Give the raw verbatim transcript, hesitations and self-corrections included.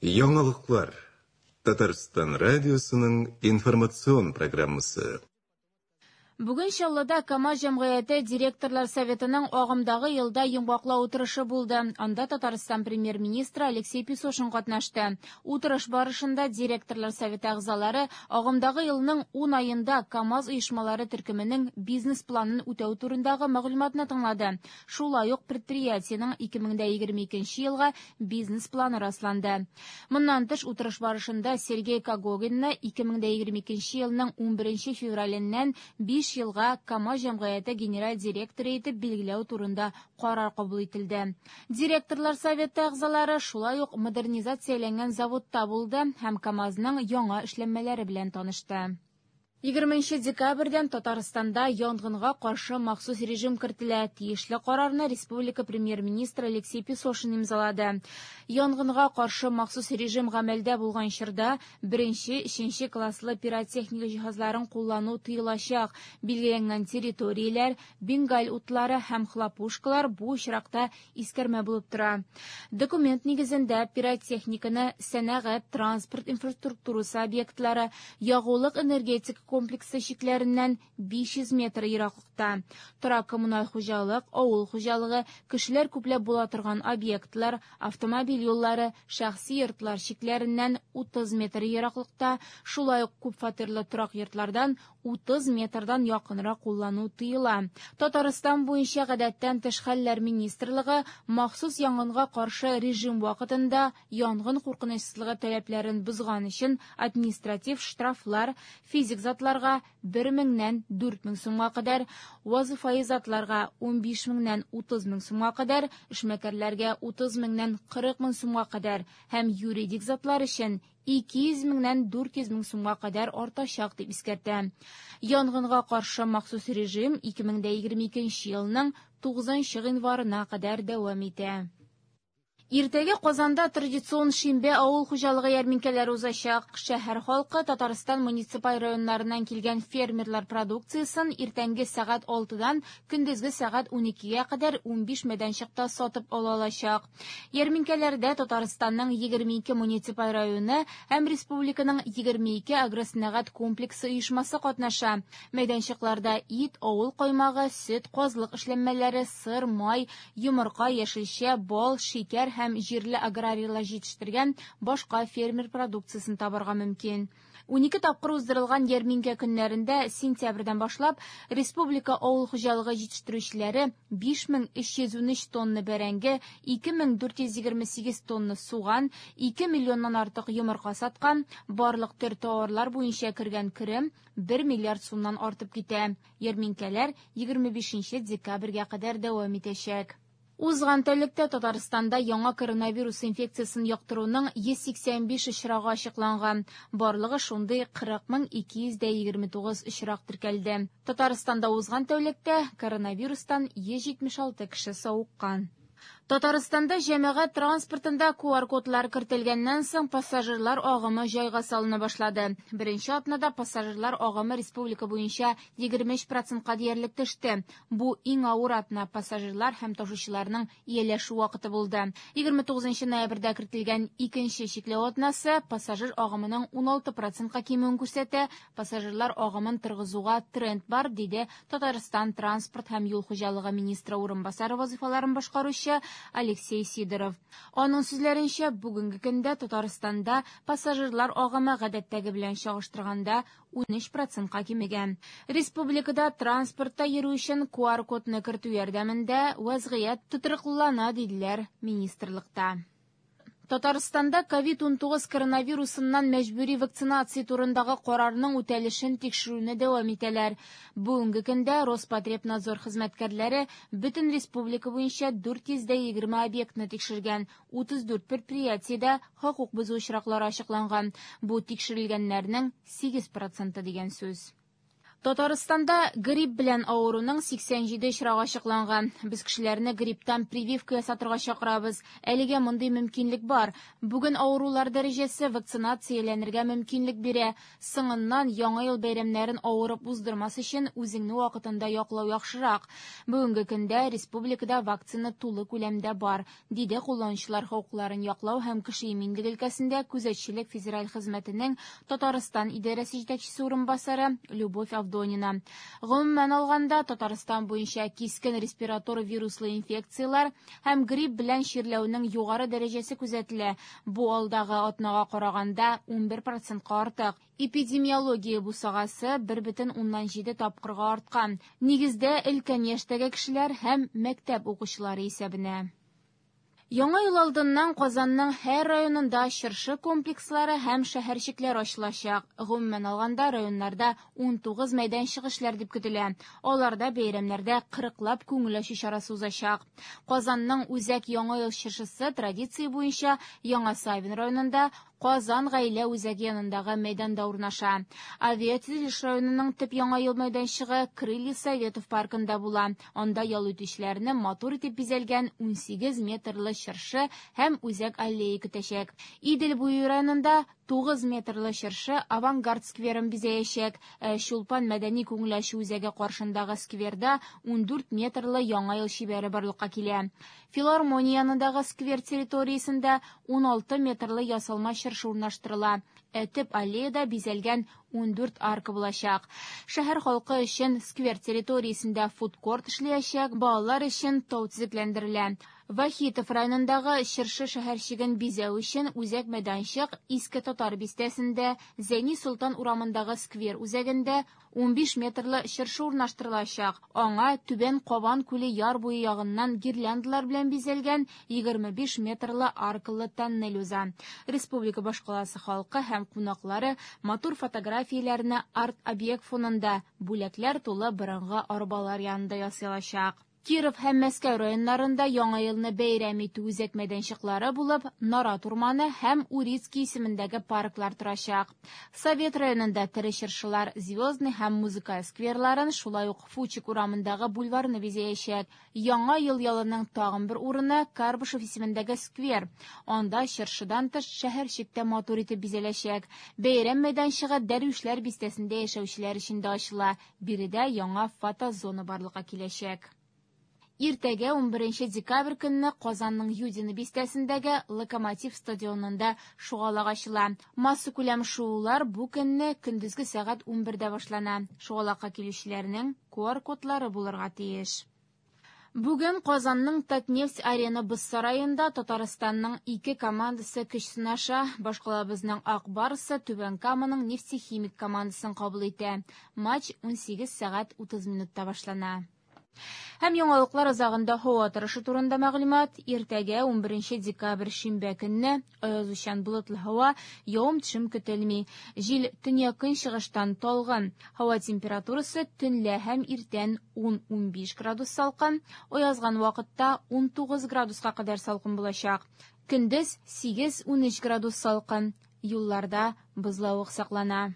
Яңалыклар. Татарстан радиосының информацион программасы. Бүген Чаллыда КАМАЗ җәмгыяте директорлар советының агымдагы елда йомгаклау утырышы булды. Анда Татарстан премьер-министры Алексей Песошин катнашты. Утырыш барышында директорлар советы әгъзалары агымдагы елның ун аенда КАМАЗ оешмалары төркеменең бизнес-планын үтәү турындагы мәгълүматны тыңлады. Шулай ук предприятиенең ике мең егерме икенче елга бизнес-планы расланды. Моннан тыш утырыш барышында Сергей Когогинны ике мең егерме икенче елның унберенче февраленнән биш елга КАМАЗ җәмгыяте генераль директоры итеп билгеләү турында карар кабул ителде. Директорлар советы әгъзалары шулай ук модернизацияләнгән заводта булды һәм КАМАЗның яңа эшләнмәләре белән танышты. Егерменче декабрьдән Татарстанда янгынга каршы махсус режим кертелә. Тиешле карарны республика премьер-министры Алексей Песошин имзалады. Янгынга каршы махсус режим гамәлдә булган чорда беренче, өченче класслы пиротехника җиһазларын куллану тыелачак. Билгеләнгән территорияләр, бенгаль утлары һәм хлопушкалар бу очракта искәрмә булып тора. Документ нигезендә пиротехниканы сәнәгать, транспорт инфраструктурасы объектлары, ягулык энергетика комплексы чикләреннән биш йөз метр ераклыкта, торак коммуналь хуҗалык, авыл хуҗалыгы, кешеләр күпләп була торган объектлар, автомобиль юллары, шәхси йортлар чикләреннән утыз метр ераклыкта, шулай ук күпфатирлы торак йортлардан утыз метрдан якынрак куллану тыела. Татарстан буенча гадәттән тыш хәлләр министрлыгы махсус янгынга каршы режим вакытында янгын куркынычсызлыгы таләпләрен бозган өчен административ штрафлар физик затларга бер меңнән дүрт мең сумга кадәр, вазифаи затларга унбиш меңнән утыз мең сумга кадәр, эшмәкәрләргә утыз меңнән кырык мең сумга кадәр һәм юридик затлар өчен ике йөз меңнән дүрт йөз мең сумга кадәр артачак дип искәртә. Янгынга каршы махсус режим ике мең егерме икенче елның тугызынчы гыйнварына кадәр дәвам итә. Иртәгә Казанда традицион шимбә авыл хуҗалыгы ярминкәләре узачак. Шәһәр халкы Татарстан муниципаль районнарыннан килгән фермерлар продукциясен иртәнге сәгать алтыдан көндезге сәгать уникегә кадәр унбиш мәйданчыкта сатып ала алачак. Ярминкәләрдә Татарстанның егерме ике муниципаль районы һәм республиканың егерме ике агросәнәгать комплексы оешмасы катнаша. Мәйданчыкларда ит, авыл каймагы, сөт, казлык эшләнмәләре, сыр, май, йомырка, яшелчә, бал, шикәр һәм җирле аграрийлар җитештергән башка фермер продукциясен табарга мөмкин. Унике тапкыр уздырылган ярминкә көннәрендә сентябрьдән башлап республика авыл хуҗалыгы җитештерүчеләре биш мең өч йөз унөч тонна бәрәңге, ике мең дүрт йөз егерме сигез тонна суган, ике миллионнан артык йомырка саткан. Барлык төр товарлар буенча кергән керем бер миллиард сумнан артып китә. Ярминкәләр егерме бишенче декабрьгә кадәр дәвам итәчәк. Узган тәүлектә Татарстанда яңа коронавирус инфекциясен йоктыруның йөз сиксән биш очрагы ачыкланган. Барлыгы шундый кырык мең ике йөз дә егерме тугыз очрак теркәлде. Татарстанда узган тәүлектә коронавирустан йөз җитмеш алты кеше савыккан. Татарстанда җәмәгать транспортында ку ар кодлар кертелгәннән соң пассажирлар агымы җайга салына башлады. Беренче атнада пассажирлар агымы республика буенча егерме өч процентка диярлек төште. Бу иң авыр атна пассажирлар һәм ташучыларның ияләшү вакыты булды. Егерме тугызынчы ноябрьдә кертелгән икенче чикләү атнасы пассажир агымының уналты процентка кимүен күрсәтә. Пассажирлар агымын торгызуга тренд бар, диде Татарстан транспорт һәм юл хуҗалыгы министры урынбасары вазифаларын башкаручы Алексей Сидоров. Аның сүзләренчә, бүгенге көндә Татарстанда пассажирлар агымы гадәттәге белән чагыштырганда унөч процентка кимегән. Республикада транспортта йөрү өчен ку ар кодны кертү ярдәмендә вазгыять тотрыклылана, диделәр министрлыкта. Татарстанда ковид унтугыз коронавирусыннан мәҗбүри вакцинация турындагы карарның үтәлешен тикшерүне дәвам итәләр. Бүгенге көндә Роспотребнадзор хезмәткәрләре бөтен республика буенча дүрт йөз дә егерме объектны тикшергән, утыз дүрт предприятиедә хокук бозу очраклары ачыкланган. Бу тикшерелгәннәрнең сигез проценты дигән сүз. Татарстанда грипп белән авыруның сиксән җиде очрагы ачыкланган. Без кешеләрне грипптан прививка ясатырга чакырабыз. Әлегә мондый мөмкинлек бар. Бүген авырулар дәрәҗәсе вакцинацияләнергә мөмкинлек бирә. Соңыннан яңа ел бәйрәмнәрен авырып уздырмас өчен үзеңне вакытында яклау яхшырак. Бүгенге көндә республикада вакцина тулы күләмдә бар, диде кулланучылар хокукларын яклау һәм кеше иминлеге өлкәсендә күзәтчелек федераль хезмәтенең Татарстан идарәсе җитәкчесе урынбасары Любовь Авдонина. Гомумән алганда, Татарстан буенча кискен респиратор вируслы инфекцияләр һәм грипп белән чирләүнең югары дәрәҗәсе күзәтелә. Бу алдагы атнага караганда унбер процентка артык. Эпидемиология бусагасы бер бөтен уннан җиде тапкырга арткан. Нигездә өлкән яшьтәге кешеләр һәм мәктәп укучылары исәбенә. Яңа ел алдыннан Казанның һәр районында чыршы комплекслары һәм шәһәрчекләр ачылачак. Гомумән алганда, районнарда ун тугыз мәйданчык эшләр дип көтелә. Аларда бәйрәмнәрдә кырыклап күңел ачу чарасы узачак. Казанның үзәк Яңа ел чыршысы традиция буенча Яңа Савин районында Казан гаилә үзәге янындагы мәйданда урнаша. Авиатөзелеш районының төп Яңа ел мәйданчыгы Крылья Советов паркында була. Анда ял итүчеләрне матур итеп бизәлгән ун сигез метрлы чыршы һәм үзәк аллея көтәчәк. Идел буе районында тугыз метрлы чыршы Авангард скверын бизәячәк. Ә Чулпан мәдәни күңел ачу үзәге каршындагы скверда ун дүрт метрлы Яңа ел чибәре барлыкка килә. Филармония янындагы сквер территориясендә ун алты метрлы ясалма чыршы урнаштырыла. Ә төп аллеяда бизәлгән ун дүрт арка булачак. Шәһәр халкы өчен сквер территориясендә фудкорт эшләячәк, балалар өчен тау төзекләндерелә. Вахитов районындагы чыршы шәһәрчеген бизәү өчен үзәк мәйданчык Иске Татар бистәсендә, Зәйни Солтан урамындагы сквер үзәгендә ун биш метрлы чыршы урнаштырылачак. Аңа Түбән Кабан күле яр буе ягыннан гирляндалар белән бизәлгән егерме биш метрлы аркалы тоннель уза. Республика башкаласы халкы һәм кунаклары матур фотографияләрне арт-объект фонында бүләкләр тулы борынгы арбалар янында ясалачак. Киров һәм Мәскәү районнарында Яңа елны бәйрәм итү үзәк мәйданчыклары булып Нарат урманы һәм Урицкий исемендәге парклар торачак. Совет районында тере чыршылар Звездный һәм Музыкаль скверларын, шулай ук Фучик урамындагы бульварны бизәячәк. Яңа ел ялының тагын бер урыны Карбышев исемендәге сквер. Анда чыршыдан тыш шәһәрчек тә матур итеп бизәләчәк. Бәйрәм мәйданчыгы Дәрвишләр бистәсендә яшәүчеләр өчен дә ачыла. Биредә яңа фотозона барлыкка киләчәк. Иртәгә ун беренче декабрь көнне Казанның Юдино бистәсендәге Локомотив стадионында шугалак ачыла. Массакүләм шуулар бу көнне көндезге сәгать ун бердә башлана. Шугалакка килүчеләрнең ку ар кодлары булырга тиеш. Бүген Казанның Татнефть арена боз сараенда Татарстанның ике командасы көч сынаша. Башкалабызның Ак Барсы Түбән Каманың Нефтехимик командасын кабул итә. Матч ун сигез сәгать утыз минутта башлана. Һәм яңалыклар азагында һава торышы турында мәгълүмат. Иртәгә ун беренче декабрь шимбә көнне аязучан болытлы һава, явым-төшем көтелми. Җил төньяк-көнчыгыштан талгын. Һава температурасы төнлә һәм иртән ун-ун биш градус салкын, аязган вакытта ун тугыз градуска кадәр салкын булачак. Көндез сигез-ун өч градус салкын. Юлларда бозлавык саклана.